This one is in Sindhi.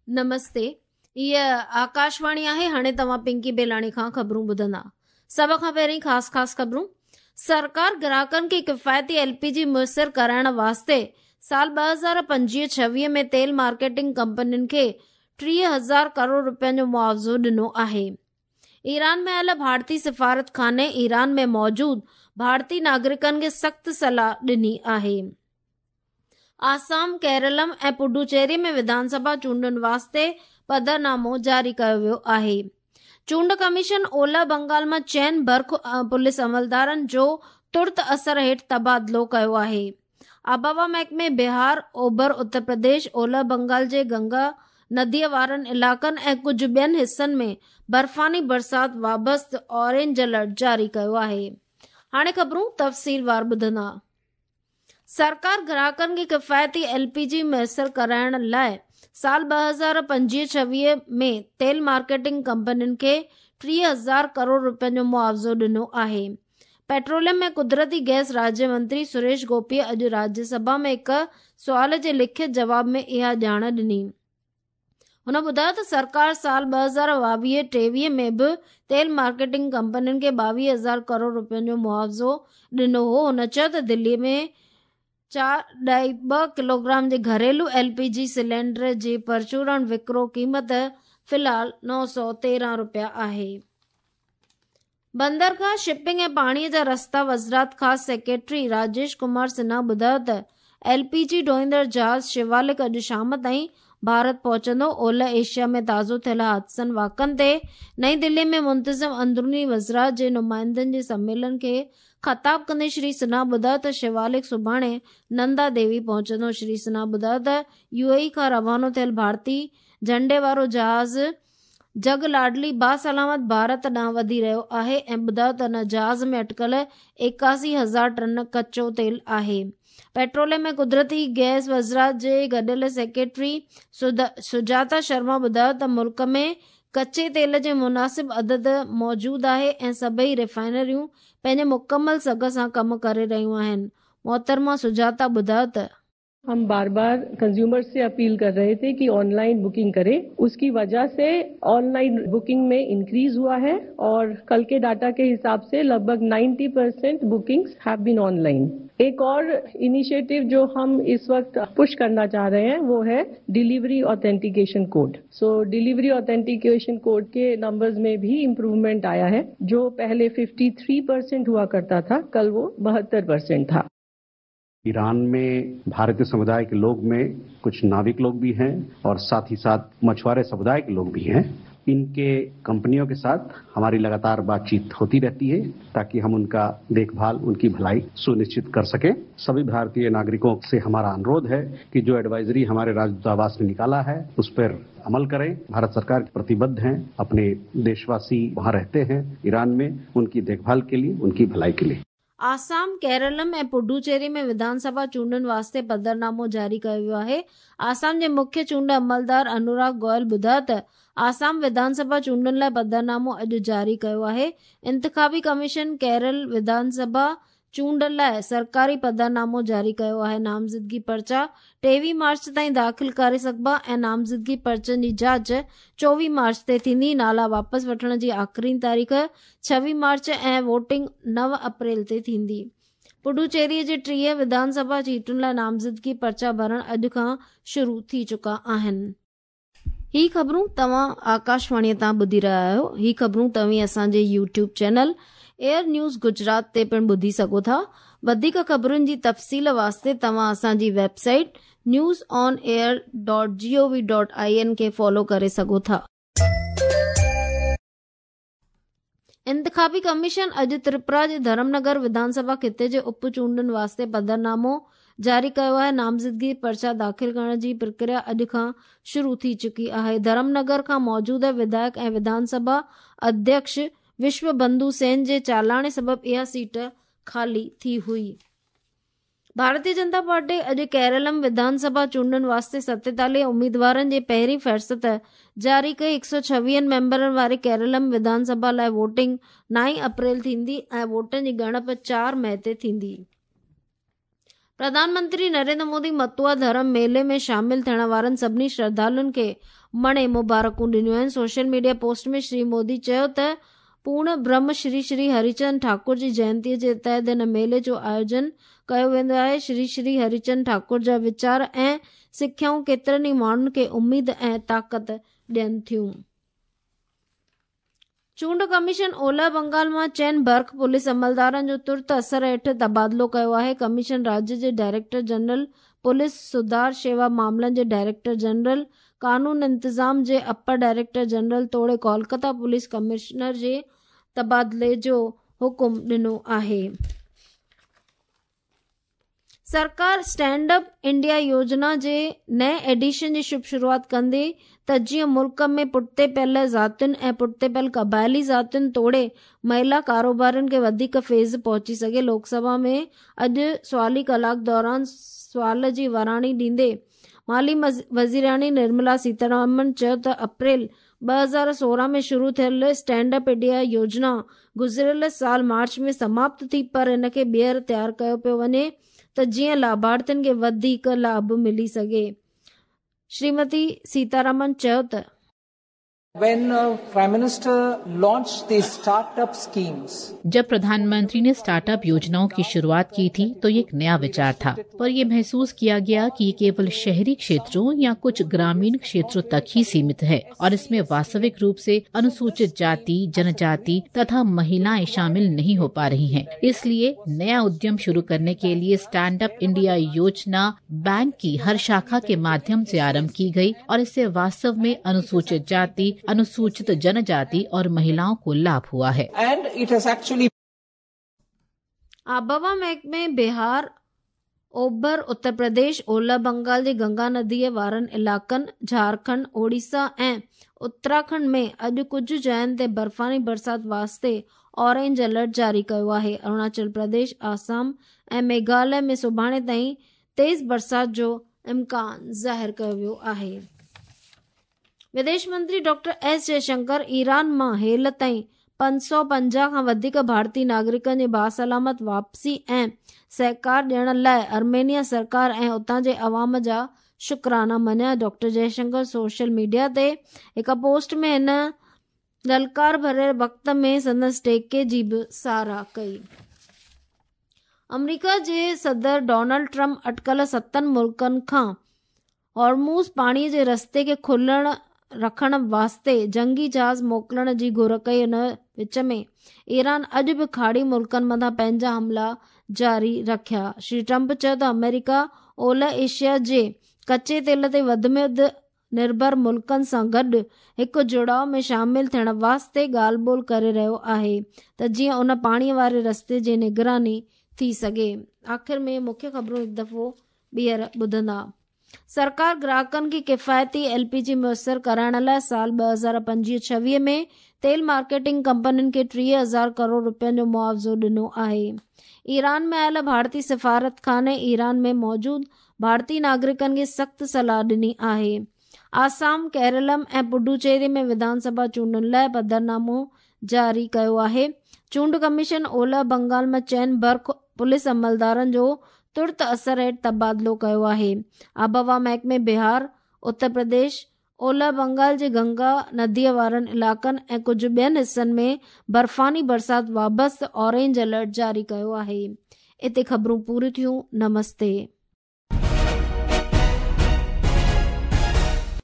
نمستي هيء آڪاشواڻي آهي هاڻي توهان پنڪي بيلاڻي کان خبرون ٻڌندا سڀ کان پهرين خاص خاص خبرون سرڪار گراهڪن کي ڪفايتي ايل پي جي ميسر ڪرائڻ واسطي سال 2025 26 ۾ تيل مارڪيٽنگ ڪمپنين کي 30,000 ڪروڙ رپين جو معاوضو ڏنو آهي ايران ۾ آيل ڀارتي سفارتخاني ايران ۾ موجود ڀارتي ناگرڪن کي سخت صلاح ڏني آهي آسام، ڪيرلم ۽ پڊوچيري ۾ وڌان سڀا چونڊن واسطي پڌرنامو جاري ڪيو ويو آهي. چونڊ ڪميشن اولهه بنگال مان چئن برک پوليس عملدارن جو ترت اثر هيٺ تبادلو ڪيو آهي. آبهوا محڪمي بهار، اوڀر اتر پرديش، اولهه بنگال جي گنگا نديء وارن علائقن ۽ ڪجهه ٻين حصن ۾ برفاني برسات وابسته اورينج الرٽ جاري ڪيو آهي. هاڻي خبرون تفصيلوار ٻڌندا. سرڪار گراهڪن کي ڪفايتي ايل پي جي ميسر ڪرائڻ لاء سال 2025 26 ۾ تيل مارڪيٽنگ ڪمپنين کي 30,000 ڪروڙ رپين جو معاوضو ڏنو آهي. پيٽروليم ۽ قدرتي گئس راڄ منتري سريش گوپيء اڄ راڄ سڀا ۾ هڪ سوال جي لکت جواب ۾ اها ڄاڻ ڏني. هن ٻڌايو ته سرڪار سال 2022 23 ۾ به تيل مارڪيٽنگ ڪمپنين کي 22,000 ڪروڙ رپين جو معاوضو ڏنو هو. هن چيو ته دلي ۾ 4.2 ڪلوگرام جي گهريلو ايل پي جي سلينڊر جي پرچورڻ وڪرو قيمت في الحال 913 رپيا آهي. بندرگاهه، شپنگ ۽ پاڻي جا رستا وزارت خاص سيڪريٽري راجيش ڪمار سنها ٻڌايو ته ايل پي جي ڍوئيندڙ جهاز شوالڪ اڄ شام تائين ڀارت پهچندو، اولهه ايشيا ۾ تازو ٿيل حادثن واقعن تي نئين دهلي ۾ منتظم اندروني وزارت جي نمائندن جي سميلن کي خطاب ڪندي شري سنها ٻڌايو ته شوالڪ سڀاڻي نندا ديوي پهچندو، شري سنها ٻڌايو ته يو اي اي کان روانو ٿيل ڀارتي جهنڊي وارو جهاز جڳ لاڏلي باسلامت ڀارت ڏانهن وڌي رهيو آهي ۽ ٻڌايو ته ان جهاز ۾ اٽڪل 81 هزار ٽن ڪچو تيل آهي. پيٽروليم ۽ قدرتي گئس وزارت جي گڏيل سيڪريٽري سجاتا شرما ٻڌايو ته ملڪ ۾ ڪچي تيل جي مناسب عدد موجود آهي ۽ سڀئي ريفائنريون پنهنجي مڪمل سگهه سان ڪم ڪري رهيون آهن. محترمه سجاتا ٻڌايو ته. हम बार बार कंज्यूमर से अपील कर रहे थे कि ऑनलाइन बुकिंग करें। उसकी वजह से ऑनलाइन बुकिंग में इंक्रीज हुआ है और कल के डाटा के हिसाब से लगभग 90% बुकिंग्स have been online. एक और इनिशिएटिव जो हम इस वक्त पुश करना चाह रहे हैं, वो है delivery authentication code. So delivery authentication code के नंबर्स में भी इम्प्रूवमेंट आया है। जो पहले 53% हुआ करता था, कल वो 72% था। ईरान में भारतीय समुदाय के लोग में कुछ नाविक लोग भी हैं और साथ ही साथ मछुआरे समुदाय के लोग भी हैं। इनके कंपनियों के साथ हमारी लगातार बातचीत होती रहती है ताकि हम उनका देखभाल, उनकी भलाई सुनिश्चित कर सकें। सभी भारतीय नागरिकों से हमारा अनुरोध है कि जो एडवाइजरी हमारे राजदूतावास ने निकाला है, उस पर अमल करें। भारत सरकार प्रतिबद्ध है, अपने देशवासी वहां रहते हैं ईरान में, उनकी देखभाल के लिए, उनकी भलाई के लिए। آسام، ڪيرلم ۽ پڊوچيري ۾ وڌان سڀا چونڊن واسطي پڌرنامو جاري ڪيو ويو آهي. آسام جي مکيه چونڊ عملدار انوراگ گوئل ٻڌايو ته آسام وڌان سڀا چونڊن لاء پڌرنامو اڄ جاري ڪيو آهي. انتخابي ڪميشن ڪيرل وڌان سڀا چونڊ لاء سرڪاري پڌرنامو جاري ڪيو آهي. نامزدگي پرچا 23 مارچ تائين داخل ڪري سگهبا ۽ نامزدگي پرچن جي جاچ 24 مارچ تي ٿيندي. نالا واپس وٺڻ جي آخرين تاريخ 26 مارچ ۽ ووٽنگ 9 اپريل تي ٿيندي. پڊوچيري جي 30 وڌان سڀا سيٽن لاء نامزدگي پرچا ڀرڻ اڄ کان شروع ٿي چڪا آهن. هي خبرون توهان آڪاشواڻي تان ٻڌي رهيا آهيو. هي خبرون توهين اسان جي YouTube channel air news Gujarat تي پڻ ٻڌي سگهو ٿا. وڌيڪ خبرن جي تفصيل واسطي توهان اسان جي website news on air dot G O V dot I N کي فالو ڪري سگهو ٿا. انتخابي ڪميشن اڄ تريپورا جي ڌرم نگر وڌان سڀا خطي جي اپ چونڊن واسطي پڌرنامو جاري ڪيو آهي. نامزدگي پرچا داخل ڪرڻ جي پرڪريا اڄ کان شروع ٿي چڪي آهي. ڌرم نگر کان موجوده وڌايڪ ۽ وڌان سڀا اڌيڪش وشو بنڌو سين جي چالاڻي سبب اها سيٽ خالي ٿي هئي. ڀارتي جنتا پارٽي اڄ ڪيرلم وڌان سڀا چونڊن واسطي 47 اميدوارن جي پهرين فهرست جاري ڪئي. 126 ميمبرن واري ڪيرلم وڌان سڀا لاء ووٽنگ 9 اپريل ٿيندي ۽ ووٽن جي ڳڻپ 4 مئي تي ٿيندي. پرڌان منتري نريندر مودي متوا ڌرم ميلي ۾ شامل ٿيڻ وارن سڀني شرڌالن کي مڻي مبارڪون ڏنيون آهن. Social media post ۾ Shri Modi چيو ته پورڻ برهم شري شري هريچند ٺاڪر جي جينتي جي تحت هن ميلي جو آيوجن ڪيو ويندو آهي. شري شري هريچند ٺاڪر جا ويچار ۽ سکيائون ڪيترن ئي ماڻهن کي اميد ۽ طاقت ڏين ٿيون. چونڊ ڪميشن اولهه بنگال مان چئن برک پوليس عملدارن جو ترت اثر هيٺ تبادلو ڪيو آهي. ڪميشن راڄ جي ڊائريڪٽر جنرل پوليس سڌار شيوا معاملن جي ڊائريڪٽر جنرل، قانون انتظام جي اپر ڊائريڪٽر جنرل توڙي ڪولڪتا پوليس ڪمشنر جي تبادلي جو حڪم ڏنو آهي. سرڪار اسٽينڊ اپ انڊيا يوجنا جي نئين ايڊيشن جي شڀ شروعات ڪندي ته جيئن ملڪ ۾ پٺتي پيل ذاتين ۽ پٺتي پيل قبائلي ذاتين توڙي مهلا ڪاروبارين کي وڌيڪ فيض پهچي سگهي. لوڪ سڀا ۾ اڄ سوالي ڪلاڪ دوران سوال جي وراڻي ڏيندي مالي وزيراڻي نرملا سيتارامن چيو ته اپريل 2016 ۾ شروع ٿيل اسٽينڊ اپ انڊيا يوجنا گذريل سال مارچ ۾ سماپت ٿي پر ان کي ٻيهر تيار ڪيو پيو وڃي ته جيئن لاڀارٿين کي وڌيڪ لاڀ ملي سگهي. شريمتي سيتارامن چيو ته. When Prime Minister launched the startup schemes, जब प्रधानमंत्री ने स्टार्टअप योजनाओं की शुरुआत की थी तो ये एक नया विचार था, पर यह महसूस किया गया कि ये केवल शहरी क्षेत्रों या कुछ ग्रामीण क्षेत्रों तक ही सीमित है और इसमें वास्तविक रूप से अनुसूचित जाति, जनजाति तथा महिलाएं शामिल नहीं हो पा रही हैं। इसलिए नया उद्यम शुरू करने के लिए स्टैंड अप इंडिया योजना बैंक की हर शाखा के माध्यम से आरंभ की गई और इससे वास्तव में अनुसूचित जाति, अनुसूचित जनजाति और महिलाओं को लाभ हुआ है। And it has actually आबहवा महकमे बिहार, ओभर उत्तर प्रदेश, ओलह बंगाल जी गंगा नदीअ वारनि इलाइक़नि, झारखंड, ओडिशा ऐं उत्तराखंड में अॼु कुझु जायुनि ते बर्फ़ानी बरसाति वास्ते ऑरेंज अलर्ट जारी कयो आहे। अरुणाचल प्रदेश, आसाम ऐं मेघालय में सुभाणे ताईं तेज़ बरसाति जो इम्कान ज़ाहिर कयो वियो आहे। विदेश मंत्री डॉक्टर एस जयशंकर ايران مان هيل تائين 550 کان وڌيڪ ڀارتي ناگرڪن جي باسلامت واپسي ۽ سهڪار ڏيڻ لاءِ آرمينيا سرڪار ۽ اتان جي عوام جا شڪرانا مڃيا. ڊاڪٽر جئشنڪر سوشل ميڊيا تي هڪ پوسٽ ۾ هن للڪار ڀريل وقت ۾ سندس ٽيڪي جي به ساراهه ڪئي. آمريڪا جي صدر ڊونلڊ ٽرمپ اٽڪل ستن ملڪن کان هارموز پاڻي جي رستي کي کليل رکڻ واسطي جنگي جهاز موڪلڻ جي گهر ڪئي. ان وچ ۾ ايران اڄ به کاڙي ملڪن مٿان پنهنجا حملا جاري رکيا. شري ٽرمپ چيو ته آمريڪا اولهه ايشيا جي ڪچي تيل تي وڌ ۾ وڌ نرڀر ملڪن سان گڏ هڪ جڙاءُ ۾ شامل ٿيڻ واسطي ڳالهه ٻولهه ڪري رهيو آهي ته جيئن ان پاڻي واري رستي جي نگراني ٿي سگهي. آخر ۾ مکيه خبرون هڪ دفعو ٻيهر ٻڌندا. سرڪار گراهڪن کي ڪفايتي ايل پي جي ميسر ڪرائڻ لاءِ سال 2025-26 ۾ تيل مارڪيٽنگ ڪمپنين کي 30,000 ڪروڙ رپين جو معاوضو ڏنو آهي. ايران ۾ آيل ڀارتي سفارتخاني ايران ۾ موجود ڀارتي ناگرڪن کي سخت صلاح ڏني آهي. آسام، ڪيرلم ۽ پڊوچيري ۾ وڌان سڀا چونڊن لاءِ پڌرنامو جاري ڪيو آهي. چونڊ ڪميشن اولهه بنگال مان چئن برک پوليس عملدارن جو ترت اثر هيٺ تبادلو ڪيو آهي. آبهوا محڪمي بهار، اتر پرديش، اولهه بنگال جي گنگا نديءَ وارن علائقن ۽ ڪجهه ٻين حصن ۾ برفاني برسات وابسته اورينج الرٽ جاري ڪيو آهي. اتي خبرون پوريون ٿيون. نمستي.